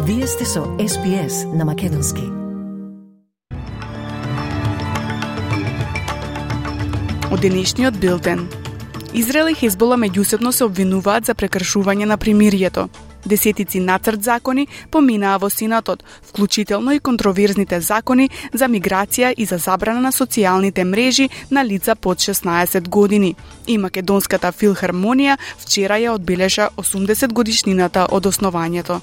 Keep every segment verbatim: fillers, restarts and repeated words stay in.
Вие сте со Ес Би Ес на Македонски. Од денешниот билтен. Израел и Хезбола меѓусебно се обвинуваат за прекршување на примирието. Десетици нацрт закони поминаа во Сенатот, вклучително и контроверзните закони за миграција и за забрана на социјалните мрежи на лица под шеснаесет години. И Македонската филхармонија вчера ја одбележа осумдесет годишнината од основањето.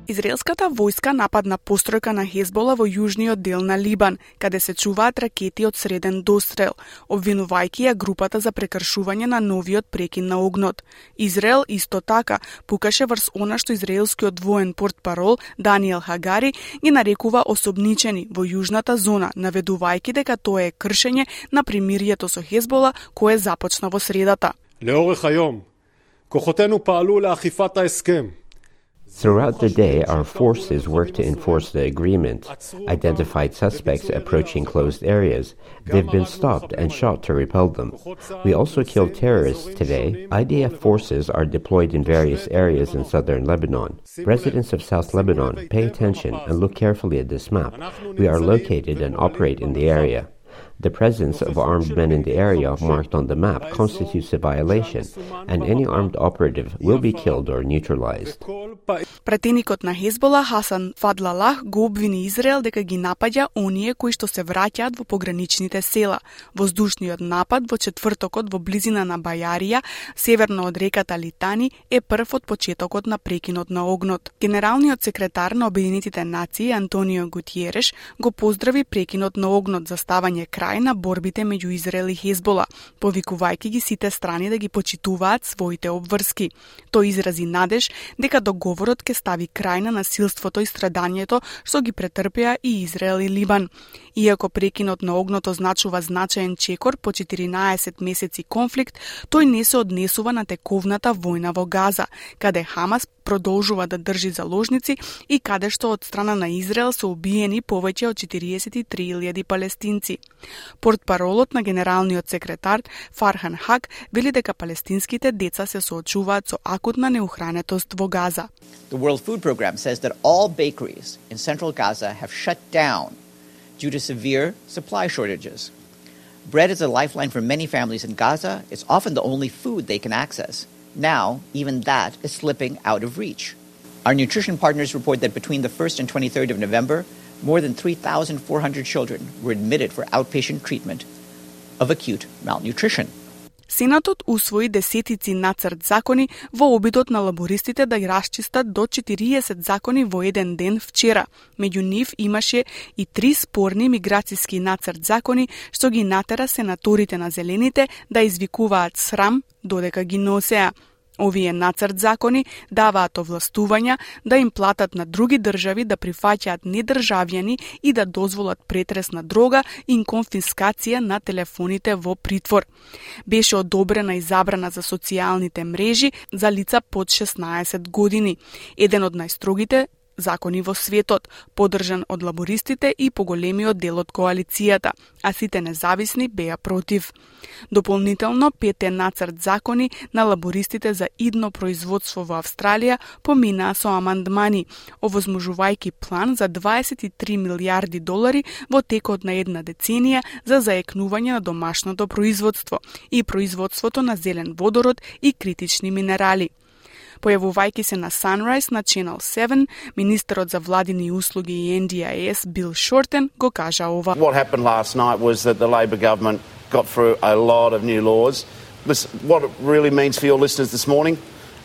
Израелската војска нападна постројка на Хезбола во јужниот дел на Либан, каде се чуваат ракети од среден дострел, обвинувајќи ја групата за прекршување на новиот прекин на огнот. Израел исто така пукаше врз она што израелскиот воен портпарол Даниел Хагари ги нарекува особничени во јужната зона, наведувајќи дека тоа е кршење на примирието со Хезбола кое започна во средата. לאורך היום, כוחותינו פעלו לאכיפת ההסכם. Throughout the day, our forces worked to enforce the agreement, identified suspects approaching closed areas. They've been stopped and shot to repel them. We also killed terrorists today. I D F forces are deployed in various areas in southern Lebanon. Residents of South Lebanon, pay attention and look carefully at this map. We are located and operate in the area. The presence of armed men in the area marked on the map constitutes a violation, and any armed operative will be killed or neutralized. Пратеникот на Хезбола Хасан Фадлалах го обвини Израел дека ги напаѓа оние кои што се враќаат во пограничните села. Воздушниот напад во четвртокот во близина на Бајарија, северно од реката Литани, е прв од почетокот на прекинот на огнот. Генералниот секретар на Обединетите нации Антонио Гутиереш го поздрави прекинот на огнот за ставање крај на борбите меѓу Израел и Хезбола, повикувајќи ги сите страни да ги почитуваат своите обврски. Тој изрази надеж дека договорот ќе стави крај на насилството и страдањето што ги претрпеа и Израел и Либан. Иако прекинот на огнот означува значаен чекор по четиринаесет месеци конфликт, тој не се однесува на тековната војна во Газа, каде Хамас продолжува да држи заложници и каде што од страна на Израел се убиени повеќе од четириесет и три илјади палестинци. Портпаролот на генералниот секретар Фархан Хак вели дека палестинските деца се соочуваат со акутна неухранетост во Газа. The World Food Program says that all bakeries in central Gaza have shut down due to severe supply shortages. Bread is a lifeline for many families in Gaza. It's often the only food they can access. Now, even that is slipping out of reach. Our nutrition partners report that between the first and twenty-third of November, more than three thousand four hundred children were admitted for outpatient treatment of acute malnutrition. Сенатот усвои десетици нацрт закони во обидот на лабористите да ги расчистат до четириесет закони во еден ден вчера. Меѓу нив имаше и три спорни миграцијски нацрт закони што ги натера сенаторите на Зелените да извикуваат срам додека ги носеа. Овие нацрт закони даваат овластувања да им платат на други држави да прифаќаат недржавјани и да дозволат претрес на дрога и конфискација на телефоните во притвор. Беше одобрена и забрана за социјалните мрежи за лица под шеснаесет години, еден од најстрогите закони во светот, поддржан од лабористите и поголемиот дел од коалицијата, а сите независни беа против. Дополнително, петте нацрт закони на лабористите за идно производство во Австралија поминаа со амандмани, овозможувајќи план за дваесет и три милијарди долари во текот на една деценија за заекнување на домашното производство и производството на зелен водород и критични минерали. Појавувајќи се на Sunrise на Channel седум, министерот за владини услуги и Ен Ди Ай Ес Бил Шортен го кажа ова. What happened last night was that the Labor government got through a lot of new laws. Listen, what it really means for your listeners this morning,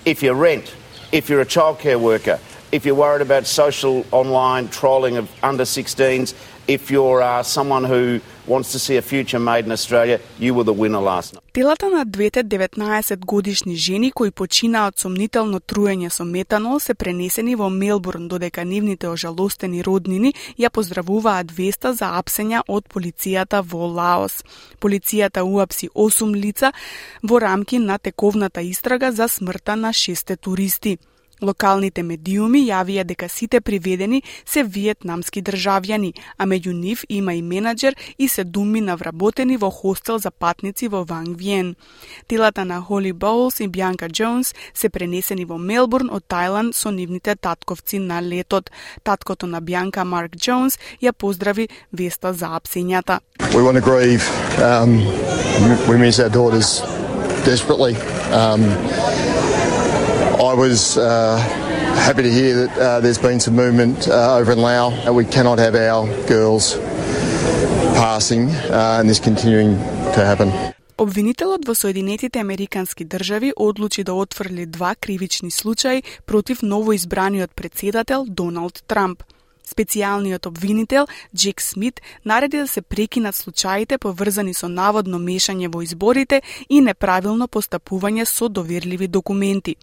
if you rent, if you're a childcare worker, if you're worried about social online trolling of under sixteens, if you're uh, someone who wants to see a future made in Australia, you were the winner last night. Телата на двете деветнаесет годишни жени кои починаа од сомнително труење со метанол се пренесени во Мелбурн, додека нивните ожалостени роднини ја поздравуваат веста за апсења од полицијата во Лаос. Полицијата уапси осум лица во рамки на тековната истрага за смртта на шесте туристи. Локалните медиуми јавија дека сите приведени се виетнамски државјани, а меѓу нив има и менаџер и седумина вработени во хостел за патници во Ванг Виен. Телата на Холи Боулс и Бјанка Джонс се пренесени во Мелбурн од Тајланд со нивните татковци на летот. Таткото на Бјанка, Марк Джонс, ја поздрави веста за апсењата. We want to grieve. Um, we miss our daughters desperately. Um, I was uh, happy to hear that uh, there's been some movement uh, over in Laos, and we cannot have our girls passing uh, and this continuing to happen. Обвинителот во Соединетите Американски држави одлучи да отфрли два кривични случаи против новоизбраниот председател Доналд Трамп. Специјалниот обвинител Джек Смит нареди да се прекинат случаите поврзани со наводно мешање во изборите и неправилно постапување со доверливи документи.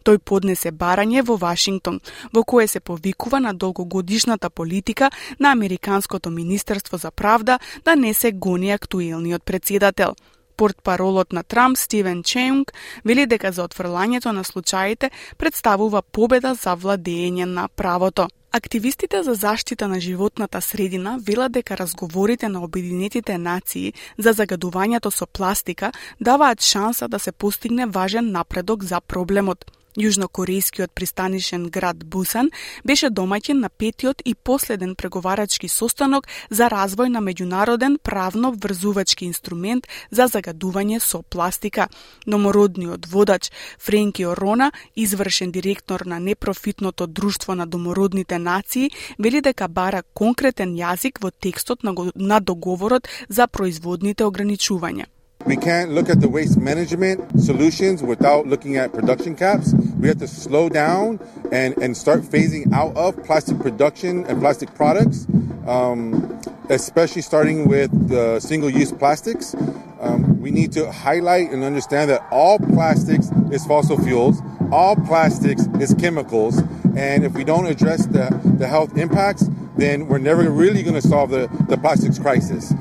Тој поднесе барање во Вашингтон, во кое се повикува на долгогодишната политика на Американското министерство за правда да не се гони актуелниот председател. Портпаролот на Трамп Стивен Чеунг вели дека за отфрлањето на случаите представува победа за владење на правото. Активистите за заштита на животната средина велат дека разговорите на Обединетите нации за загадувањето со пластика даваат шанса да се постигне важен напредок за проблемот. Јужнокорејскиот пристанишен град Бусан беше домаќин на петиот и последен преговарачки состанок за развој на меѓународен правно врзувачки инструмент за загадување со пластика. Домородниот водач Френки Орона, извршен директор на непрофитното друштво на домородните нации, вели дека бара конкретен јазик во текстот на, на договорот за производните ограничувања. We can't look at the waste management solutions without looking at production caps. We have to slow down and, and start phasing out of plastic production and plastic products, um, especially starting with the single-use plastics. Um, we need to highlight and understand that all plastics is fossil fuels, all plastics is chemicals, and if we don't address the, the health impacts, then we're never really going to solve the, the plastics crisis.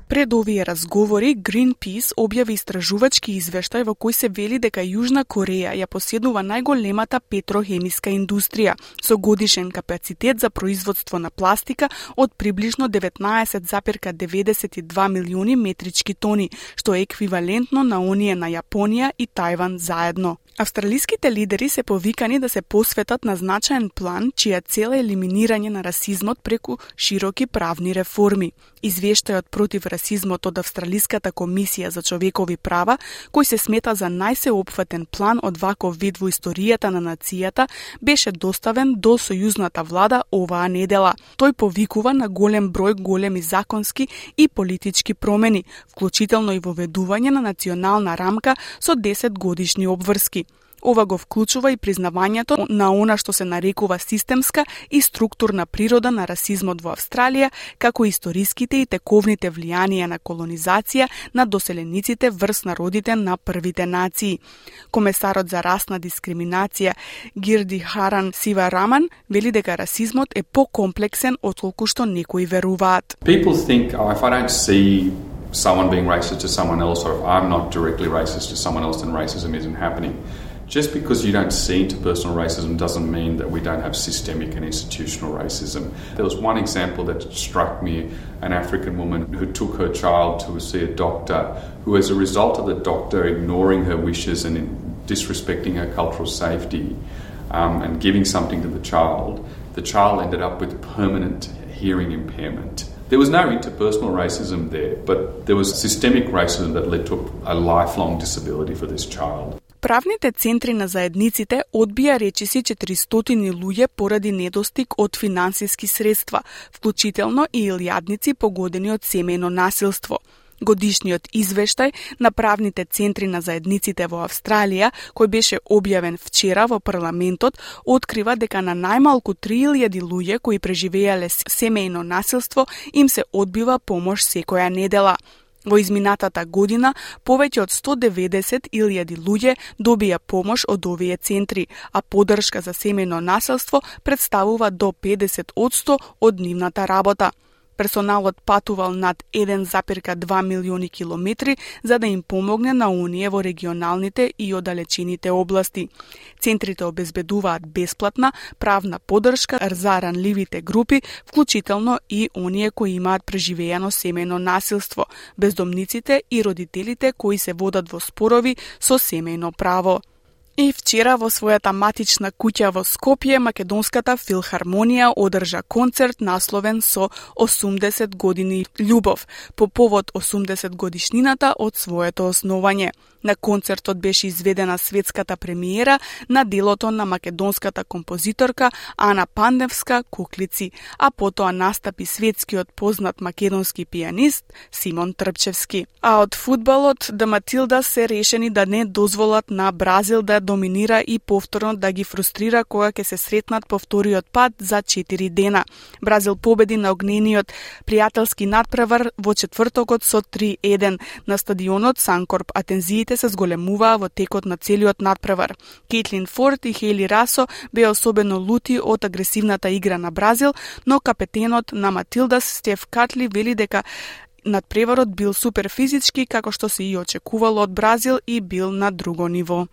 Пред овие разговори, Greenpeace објави истражувачки извештај во кој се вели дека Јужна Кореја ја поседува најголемата петрохемиска индустрија со годишен капацитет за производство на пластика од приближно деветнаесет зарез деветдесет и два милиони метрички тони, што е еквивалентно на оние на Јапонија и Тајван заедно. Австралиските лидери се повикани да се посветат на значаен план чија цел е елиминирање на расизмот преку широки правни реформи. Извештајот против расизмот од Австралиската комисија за човекови права, кој се смета за најсеопфатен план од ваков вид во историјата на нацијата, беше доставен до сојузната влада оваа недела. Тој повикува на голем број големи законски и политички промени, вклучително и воведување на национална рамка со десет годишни обврски. Ова го вклучува и признавањето на она што се нарекува системска и структурна природа на расизмот во Австралија, како историските и тековните влијанија на колонизација на доселениците врз народите на првите нации. Комесарот за расна дискриминација Гирди Харан Сивараман вели дека расизмот е покомплексен отколку што некои веруваат. People think, oh, if I don't see someone being racist to someone else, or if I'm not directly racist to someone else, then racism isn't happening. Just because you don't see interpersonal racism doesn't mean that we don't have systemic and institutional racism. There was one example that struck me, an African woman who took her child to see a doctor, who as a result of the doctor ignoring her wishes and disrespecting her cultural safety um, and giving something to the child, the child ended up with permanent hearing impairment. There was no interpersonal racism there, but there was systemic racism that led to a lifelong disability for this child. Правните центри на заедниците одбија речиси четиристотини луѓе поради недостиг од финансиски средства, вклучително и илјадници погодени од семејно насилство. Годишниот извештај на правните центри на заедниците во Австралија, кој беше објавен вчера во парламентот, открива дека на најмалку три илјади луѓе кои преживеале семејно насилство им се одбива помош секоја недела. Во изминатата година, повеќе од сто деветдесет илјади луѓе добија помош од овие центри, а поддршка за семејно насилство представува до педесет одсто од нивната работа. Персоналот патувал над еден запирка два милиони километри за да им помогне на оние во регионалните и оддалечените области. Центрите обезбедуваат бесплатна правна поддршка за ранливите групи, вклучително и оние кои имаат преживеано семејно насилство, бездомниците и родителите кои се водат во спорови со семејно право. И вчера во својата матична куќа во Скопје, Македонската филхармонија одржа концерт насловен со осумдесет години љубов, по повод осумдесет годишнината од своето основање. На концертот беше изведена светската премиера на делото на македонската композиторка Ана Пандевска Куклици, а потоа настапи светскиот познат македонски пијанист Симон Трпчевски. А од фудбалот, да Матилда се решени да не дозволат на Бразил да доминира и повторно да ги фрустрира кога ќе се сретнат по вториот пат за четири дена. Бразил победи на огнениот пријателски надпревар во четвртокот со три еден на стадионот Санкорп, а тензиите се зголемуваа во текот на целиот надпревар. Кейтлин Форд и Хейли Расо беа особено лути од агресивната игра на Бразил, но капетенот на Матилдас Стеф Катли вели дека надпреварот бил супер физички, како што се и очекувало од Бразил, и бил на друго ниво.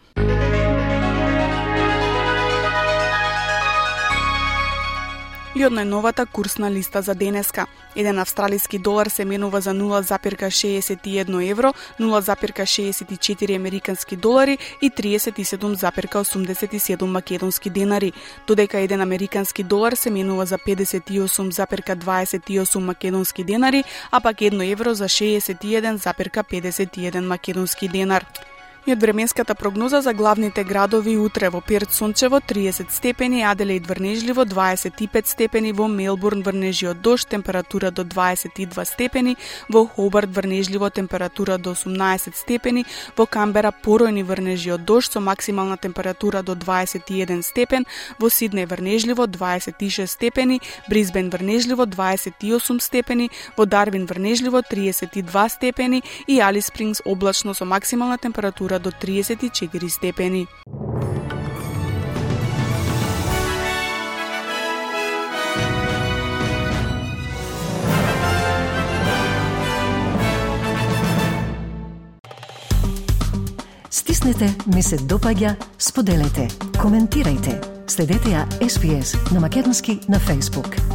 И од најновата курсна листа за денеска. Еден австралиски долар се менува за нула запирка шеесет и едно евро, нула запирка шеесет и четири американски долари и тридесет и седум запирка осумдесет и седум македонски денари, додека еден американски долар се менува за педесет и осум запирка дваесет и осум македонски денари, а пак едно евро за шеесет и еден запирка педесет и еден македонски денар. И од временската прогноза за главните градови утре: во Перт сончево триесет степени, Аделаид врнежливо дваесет и пет степени, во Мелбурн врнежи од дожд, температура до дваесет и два степени, во Хобарт врнежливо, температура до осумнаесет степени, во Камбера поројни врнежи од дожд со максимална температура до дваесет и еден степен, во Сиднеј врнежливо дваесет и шест степени, Брисбен врнежливо дваесет и осум степени, во Дарвин врнежливо триесет и два степени и Алис Спрингс облачно со максимална температура до триесет и четири степени. Стиснете, ми се допаѓа, споделете, коментирајте. Следете ја Ес Би Ес на македонски на Facebook.